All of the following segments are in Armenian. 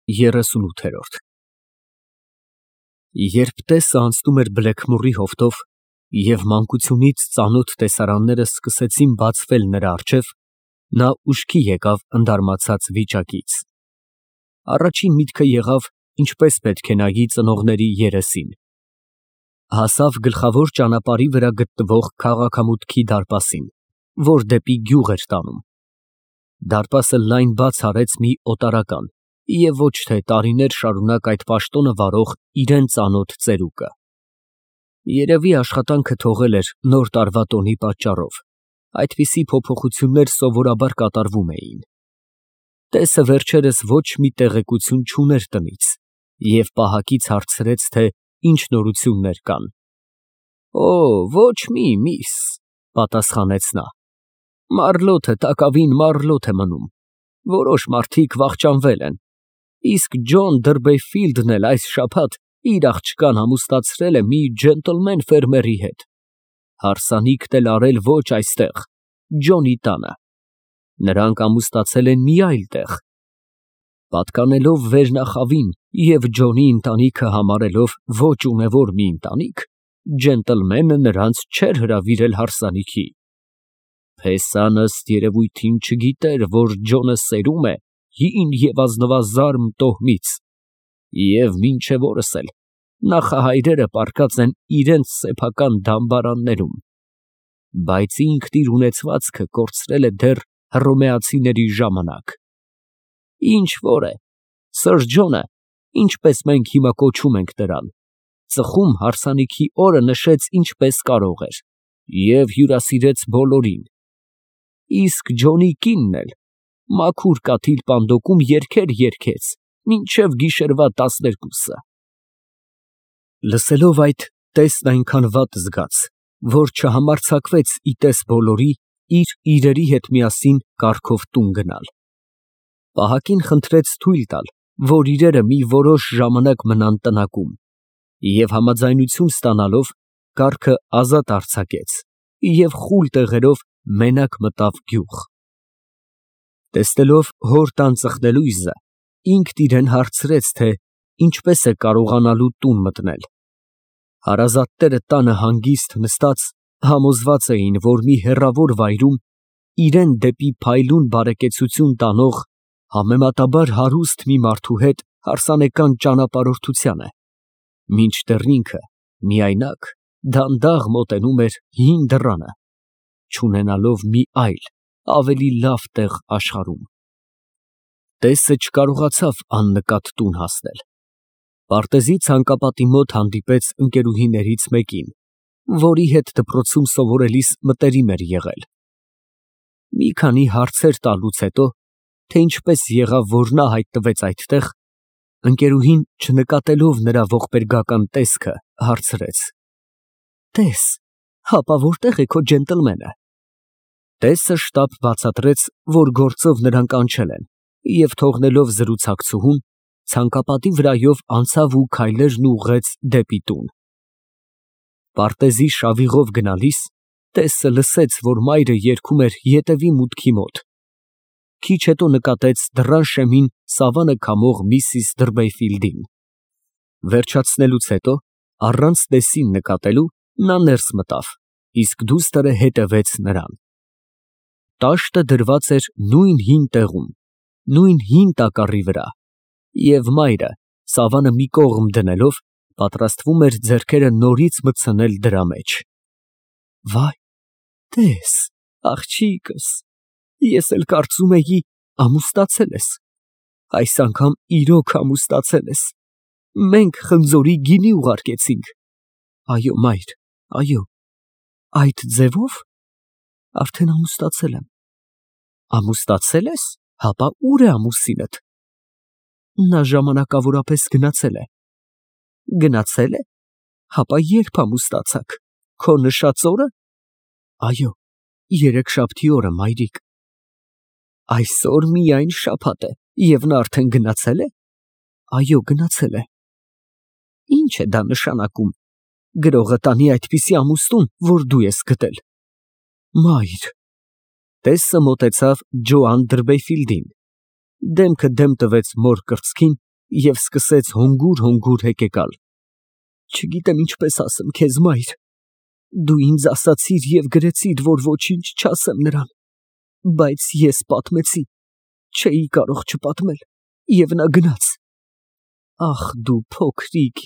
38 Երբ տեսը անցնում էր բլեքմորի հովտով և մանկությունից ծանոթ տեսարանները սկսեցին բացվել նրա առջև, նա ուշքի եկավ ընդարմացած վիճակից. առաջին միտքը եղավ ինչպես պետք է նայի ծնողների երեսին, հասավ գլխավոր ճանապարհի վրա գտնվող քաղաքամուտքի դարպասին, որ դեպի գյուղ էր տանում, դարպասը լայն բաց արեց մի օտարական և ոչ թե տարիներ շարունակ այդ պաշտոնը վարող իրան ծանոթ ծերուկը, երևի աշխատանքը թողել էր նոր տարվա տոնի պատճառով, այդպիսի փոփոխություններ սովորաբար կատարվում էին, տեսը վերջերս ոչ մի տեղեկություն չուներ տնից և պահակից հարցրեց, թե ինչ նորություններ կան, ոչ մի, միս, պատասխանեց նա, մառլոթը տակավին մառլոթ է մնում, որոշ մարդիկ վախճանվել են, իսկ Ջոն Դըրբեֆիլդն էլ այս շաբաթ իր աղջկան ամուսնացրել է մի ջենտլմեն ֆերմերի հետ, հարսանիքն էլ արել ոչ այստեղ, Ջոնի տանը, նրանք ամուսնացել են մի այլ տեղ, պատկանելով վերնախավին և Ջոնի ընտանիքը համարելով ոչ ունևոր մի ընտանիք, ջենտլմենը նրանց չէր հրավիրել հարսանիքի, փեսան ըստ երևույթին չգիտեր, որ Ջոնը սերում է հին և ազնվազարմ տոհմից և մինչև օրս էլ նախահայրերը պառկած են իրենց սեփական դամբարաններում, բայց ինքն իր ունեցվածքը կորցրել է դեռ հռոմեացիների ժամանակ, ինչ որ է, Սըր Ջոնը, ինչպես մենք հիմա կոչում ենք նրան, ծխում հարսանիքի օրը նշեց ինչպես կարող էր և հյուրասիրեց բոլորին, իսկ Ջոնի կինն էլ մաքուր կաթիլ պանդոկում երգեր երգեց մինչև գիշերվա 12-ը։ Լսելով այդ, տեսն այնքան վատ զգաց, որ չհամարձակվեց ի տես բոլորի իր իրերի հետ միասին կառքով տուն գնալ, պահակին խնդրեց թույլ տալ, որ իրերը մի որոշ ժամանակ մնան տնակում և համաձայնություն ստանալով կառքը ազատ արձակեց և խուլ տեղերով մենակ մտավ գյուղ, տեսնելով հոր տան ծխնելույզը, ինքն իրան հարցրեց, թե ինչպես է կարողանալու տուն մտնել, հարազատները տանը հանգիստ նստած համոզված էին, որ մի հեռավոր վայրում իրան դեպի փայլուն բարեկեցություն տանող համեմատաբար հարուստ մի մարդու հետ հարսանեկան ճանապարհորդության է, մինչդեռ ինքը միայնակ դանդաղ մոտենում էր հին դռանը, չունենալով մի այլ, ավելի լավ տեղ աշխարհում, տեսը չկարողացավ աննկատ տուն հասնել, պարտեզի ցանկապատի մոտ հանդիպեց ընկերուհիներից մեկին, որի հետ դպրոցում սովորելիս մտերիմ էր եղել, մի քանի հարցեր տալուց հետո, թե ինչպես եղավ, որ նա հայտնվեց այդտեղ, ընկերուհին չնկատելով նրա ողբերգական տեսքը, հարցրեց. Տես, հապա որտե՞ղ է քո ջենտլմենը։ Տեսը շտապ բացատրեց, որ գործով նրան կանչել են, և թողնելով զրուցակցուհուն, ցանկապատի վրայով անցավ ու քայլերն ուղղեց դեպի տուն, պարտեզի շավիղով գնալիս, տեսը լսեց, որ մայրը երգում էր ետևի մուտքի մոտ, քիչ հետո նկատեց դռան շեմին սավանը քամող միսիս Դըրբեֆիլդին, վերջացնելուց հետո, առանց տեսին նկատելու, նա ներս մտավ, իսկ դուստրը հետևեց նրան, տաշտը դրված էր նույն հին տեղում, նույն հին տակառի վրա, և մայրը, սավանը մի կողմ դնելով, պատրաստվում էր ձեռքերը նորից մտցնել դրա մեջ։ Վայ, տես, աղջիկս, ես էլ կարծում էի ամուսնացել ես, այս անգամ իրոք ամուսնացել ես, մենք խնձորի գինի ուղարկեցինք, այո մայր, այո, այդ ձևո՞վ, արդեն ամուսնացել եմ, ամուսնացել ես, հապա ուր է ամուսինդ, նա ժամանակավորապես գնացել է, գնացել է, հապա երբ ամուսնացաք, քո նշած օրը, այո, երեքշաբթի օրը մայրիկ, այսօր միայն շաբաթ է, և նա արդեն գնացել է, այո, գնացել է, ինչ է դա նշանակում, գրողը տանի այդպիսի ամուսնուն, որ դու ես գտել, մայր, տեսը մոտեցավ Ջոան Դըրբեֆիլդին, դեմքը դեմ տվեց մոր կրծքին և սկսեց հոնգուր հեկեկալ. Չգիտեմ ինչպես ասեմ քեզ, մայր, դու ինձ ասացիր և գրեցիր, որ ոչինչ չասեմ նրան, բայց ես պատմեցի, չէի կարող չպատմել, և նա գնաց։ Ախ դու փոքրիկ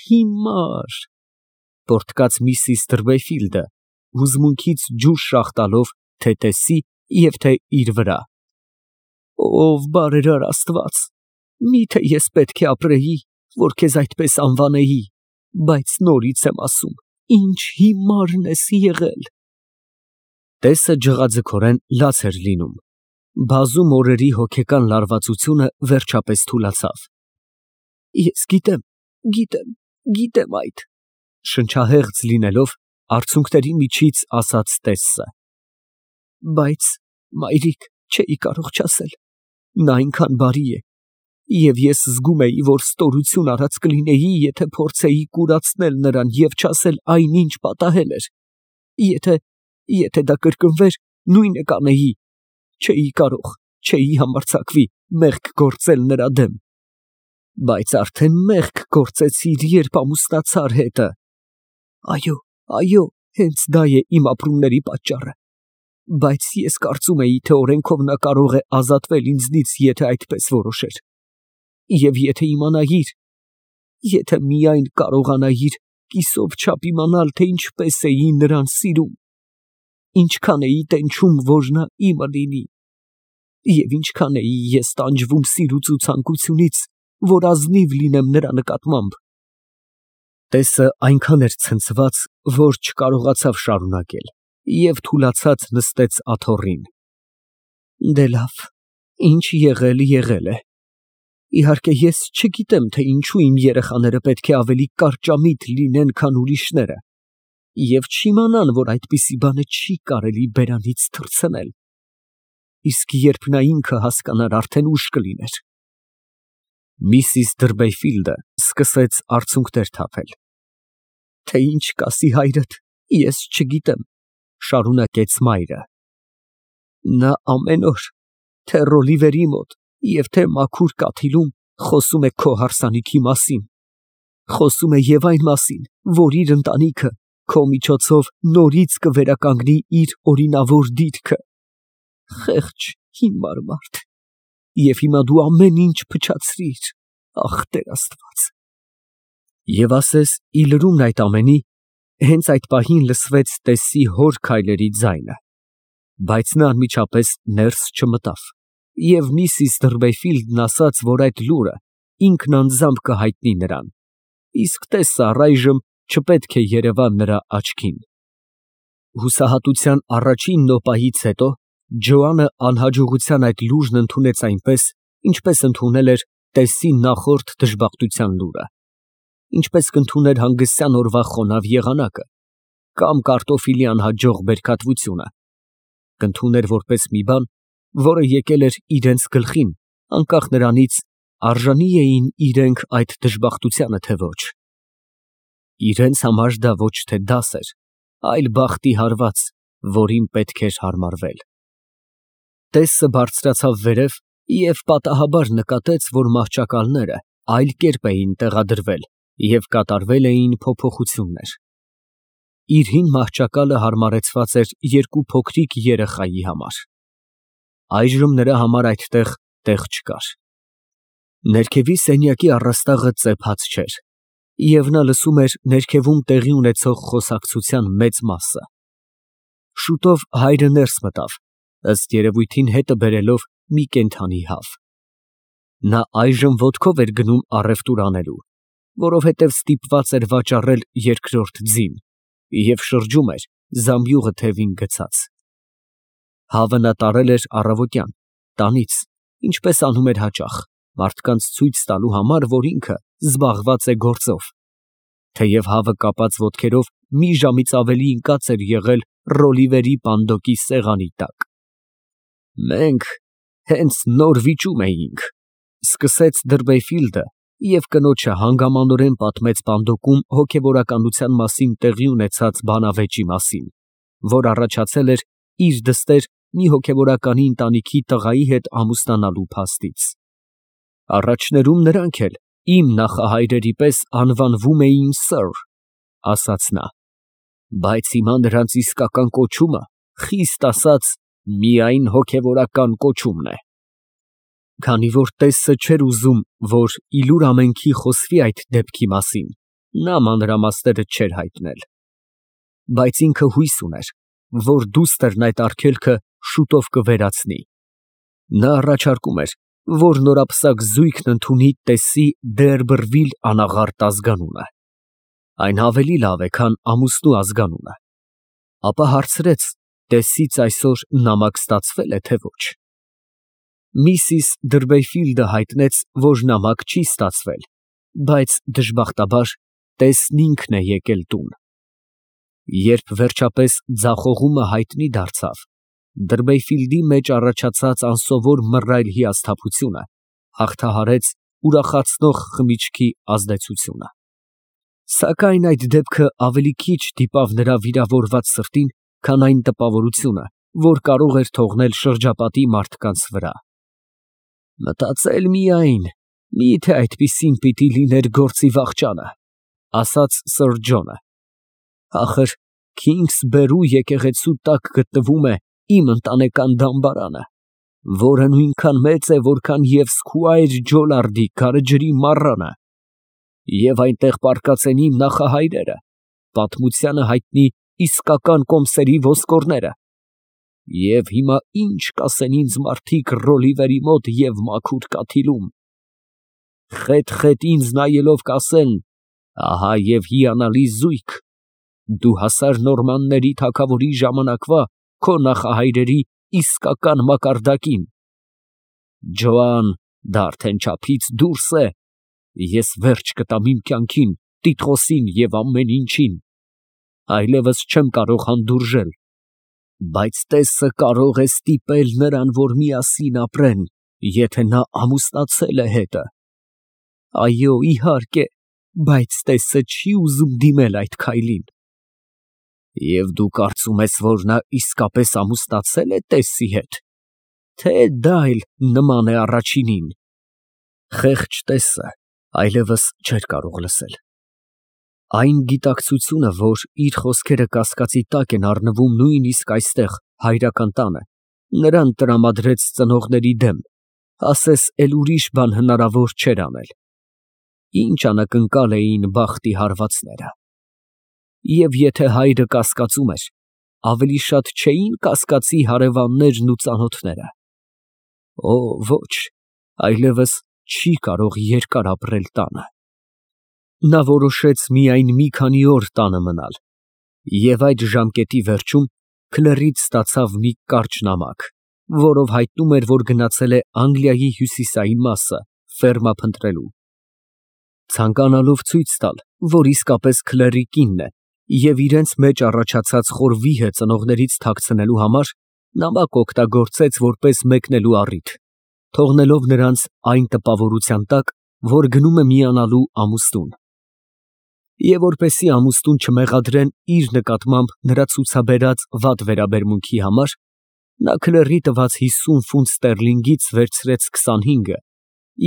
հիմար, պոռթկաց միսիս Տրվեֆիլդը, հուզմունքից ջուր շաղ տալով թե տեսի և թե իր վրա։ Ով բարերար Աստված, միթե ես պետք է ապրեի, որ քեզ այդպես անվանեի, բայց նորից եմ ասում, ինչ հիմարն ես եղել։ Տեսը ջղաձգորեն լաց էր լինում։ Բազում օրերի հոգեկան լարվածությունը վերջապես թուլացավ։ Ես գիտեմ այդ, շնչահեղձ լինելով, արցունքների միջից ասաց Տեսսը։ Բայց, մայրիկ, չէի կարող չասել, նա այնքան բարի է, և ես զգում էի, որ ստորություն արած կլինեի, եթե փորձեի կուրացնել նրան և չասել այնինչ պատահել էր։ Եթե դա կրկնվեր, նույնը կանեի, չէի համարձակվի մեղք գործել նրա դեմ։ Բայց արդեն մեղք գործեցիր, երբ ամուսնացար հետը։ Այո, հենց դա է իմ ապրումների պատճառը։ Բայց ես կարծում էի, թե օրենքով նա կարող է ազատվել ինձնից, եթե այդպես որոշեր։ Եվ եթե միայն կարողանայիր կիսով չափ իմանալ, թե ինչպես էի նրան սիրում, ինչքան էի տենչում, որ նա իմը լինի, և ինչքան էի ես տանջվում սիրուց ու ցանկությունից, որ ազնիվ լինեմ նրա նկատմամբ։ Տեսը այնքան էր ցնցված, որ չկարողացավ շարունակել և թուլացած նստեց աթոռին։ Դե լավ, ինչ եղել է։ Իհարկե ես չգիտեմ, թե ինչու իմ երեխաները պետք է ավելի կարճամիտ լինեն, քան ուրիշները, և չիմանան, որ այդպիսի բանը չի կարելի բերանից թռցնել, իսկ երբ նա ինքը հասկանար, արդեն ուշ կլիներ։ Միսիս Տրվեֆիլդը սկսեց արցունքներ թափել։ Թե ինչ կասի հայրդ, ես չգիտեմ, շարունակեց մայրը։ Նա ամեն օր, թե Ռոլիվերի մոտ և թե մաքուր կաթիլում, խոսում է քո հարսանիքի մասին, խոսում է և այն մասին, որ իր ընտանիքը քո միջոցով նորից կվերականգնի իր օրինավոր դիրքը։ Խեղճ հիմար մարդ, և հիմա դու ամեն ինչ փչացրիր, ախ Տեր Աստված։ Եվ ասես ի լրումն այդ ամենի, հենց այդ պահին լսվեց Տեսսի հոր քայլերի ձայնը, բայց նա անմիջապես ներս չմտավ, և միսիս Տրվեֆիլդն ասաց, որ այդ լուրը ինքն անձամբ կհայտնի նրան, իսկ Տեսսը առայժմ չպետք է երևա նրա աչքին։ Հուսահատության առաջին նոպայից հետո Ջոանը անհաջողության այդ լուրն ընդունեց այնպես, ինչպես ընդունել էր Տեսսի նախորդ դժբախտության լուրը, ինչպես կընդուներ հանգստյան օրվա խոնավ եղանակը կամ կարտոֆիլի անհաջող բերքատվությունը, կընդուներ որպես մի բան, որը եկել էր իրենց գլխին, անկախ նրանից, արժանի էին իրենք այդ դժբախտությանը, թե ոչ։ Իրենց համար դա ոչ թե դաս էր, այլ բախտի հարված, որին պետք էր հարմարվել։ Տեսսը բարձրացավ վերև և պատահաբար նկատեց, որ մահճակալները այլ կերպ էին տեղադրվել և կատարվել էին փոփոխություններ։ Իր հին մահճակալը հարմարեցված էր երկու փոքրիկ երեխայի համար։ Այժմ նրա համար այդտեղ տեղ չկար։ Ներքևի սենյակի առաստաղը ծեփած չէր, և նա լսում էր ներքևում տեղի ունեցող խոսակցության մեծ մասը։ Շուտով հայրը ներս մտավ, ըստ երևույթին հետը բերելով մի կենդանի հավ։ Նա այժմ ոտքով էր գնում առևտուր անելու, որովհետև ստիպված էր վաճառել երկրորդ ձին և շրջում էր զամբյուղը թևին գցած։ Հավը նա տարել էր առավոտյան, տանից, ինչպես անում էր հաճախ, մարդկանց ցույց տալու համար, որ ինքը զբաղված է գործով, թեև հավը կապած ոտքերով մի ժամից ավելի ընկած էր եղել Ռոլիվերի պանդոկի սեղանի տակ։ Մենք հենց նոր վիճում էինք, սկսեց Տրվեֆիլդը և կնոջը հանգամանորեն պատմեց պանդոկում հոգևորականության մասին տեղի ունեցած բանավեճի մասին, որ առաջացել էր իր դստեր մի հոգևորականի ընտանիքի տղայի հետ ամուսնանալու փաստից։ Առաջներում նրանք էլ իմ նախահայրերի պես անվանվում էին Սըր, ասաց նա, բայց հիմա նրանց իսկական կոչումը, խիստ ասած, միայն հոգևորական կոչումն է։ Քանի որ տեսը չէր ուզում, որ իլուր ամենքի խոսվի այդ դեպքի մասին, նա մանրամասները չէր հայտնել։ Բայց ինքը հույս ուներ, որ դուստրն այդ արգելքը շուտով կվերացնի։ Նա առաջարկում էր, որ նորապսակ զույգն ընդունի տեսի Դերբրվիլ անաղարտ ազգանունը։ Այն ավելի լավ է, քան ամուսնու ազգանունը։ Ապա հարցրեց, տեսից այսօր նամակ ստացվե՞լ է, թե ոչ։ Միսիս Դրբեյֆիլդը հայտնեց, որ նամակ չի ստացվել, բայց դժբախտաբար տեսն ինքն է եկել տուն։ Երբ վերջապես ձախողումը հայտնի դարձավ, Դրբեյֆիլդի մեջ առաջացած անսովոր մռայլ հիասթափությունը հաղթահարեց ուրախացնող խմիչքի ազդեցությունը։ Սակայն այդ դեպքը ավելի քիչ դիպավ նրա վիրավորված սրտին, քան այն տպավորությունը, որ կարող էր թողնել շրջապատի մարդկանց վրա։ Մտածել միայն, միթե այդպիսին պիտի լիներ գործի վախճանը, ասաց Սըր Ջոնը։ Ախր Քինգսբերու եկեղեցու տակ գտնվում է իմ ընտանեկան դամբարանը, որը նույնքան մեծ է, որքան և Սքուայր Ջոլարդի գարեջրի մառանը, և այնտեղ պառկած են իմ նախահայրերը, պատմությանը հայտնի իսկական կոմսերի ոսկորները, և հիմա ինչ կասեն ինձ մարդիկ Ռոլիվերի մոտ և մաքուր կաթիլում։ Խետ ինձ նայելով կասեն. ահա և հիանալի զույգ, դու հասար նորմանների թագավորի ժամանակվա քո նախահայրերի իսկական մակարդակին։ Ջոան, դա արդեն չափից դուրս է, ես վերջ կտամ իմ կյանքին, տիտղոսին և ամեն ինչին, այլևս չեմ կարող հանդուրժել, բայց տեսը կարող է ստիպել նրան, որ միասին ապրեն, եթե նա ամուսնացել է հետը։ Այո, իհարկե, բայց տեսը չի ուզում դիմել այդ քայլին։ Եվ դու կարծում ես, որ նա իսկապես ամուսնացել է տեսի հետ, թե դա էլ նման է առաջինին։ Խեղճ տեսը այլևս չէր կարող լսել։ Այն գիտակցությունը, որ իր խոսքերը կասկածի տակ են առնվում նույնիսկ այստեղ, հայրական տանը, նրան տրամադրեց ծնողների դեմ, ասես էլ ուրիշ բան հնարավոր չէր անել։ Ինչ անակնկալ էին բախտի հարվածները։ Եվ եթե հայրը կասկածում էր, ավելի շատ չէին կասկածի հարևաններն ու ծանոթները։ Օ, ոչ, այլևս չի կարող երկար ապրել տանը։ Նա որոշեց միայն մի քանի օր տանը մնալ, և այդ ժամկետի վերջում քլեռից ստացավ մի կարճ նամակ, որով հայտնում էր, որ գնացել է Անգլիայի հյուսիսային մասը ֆերմա փնտրելու։ Ցանկանալով ցույց տալ, որ իսկապես քլեռի կինն է, և իրենց մեջ առաջացած խոր վիհը ծնողներից թաքցնելու համար, նամակ օգտագործեց որպես մեկնելու առիթ, թողնելով նրանց այն տպավորության տակ, որ գնում է միանալու ամուսնուն։ Եվ որպեսզի ամուսնուն չմեղադրեն իր նկատմամբ նրա ցուցաբերած վատ վերաբերմունքի համար, նա քլեռի տված 50 ֆունտ ստերլինգից վերցրեց 25-ը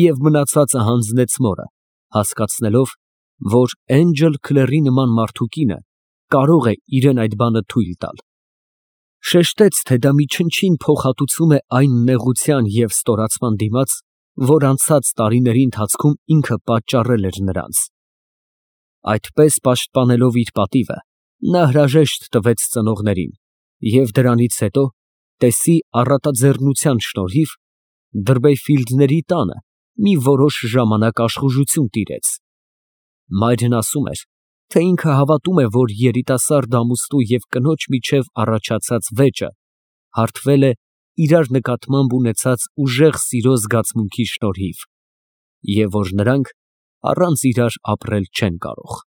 և մնացածը հանձնեց մորը, հասկացնելով, որ Էնջել Քլեռի նման մարդու կինը կարող է իրան այդ բանը թույլ տալ։ Շեշտեց, թե դա մի չնչին փոխհատուցում է այն նեղության և ստորացման դիմաց, որ անցած տարիների ընթացքում ինքը պատճառել էր նրանց։ Այդպես պաշտպանելով իր պատիվը, նա հրաժեշտ տվեց ծնողներին և դրանից հետո, տեսի առատաձեռնության շնորհիվ, Դրբեյֆիլդների տանը մի որոշ ժամանակ աշխուժություն տիրեց։ Մայրն ասում էր, թե ինքը հավատում է, որ երիտասարդ ամուսնու և կնոջ միջև առաջացած վեճը հարթվել է իրար նկատմամբ ունեցած ուժեղ սիրո զգացմունքի շնորհիվ, և որ նրանք առանց իրար ապրել չեն կարող։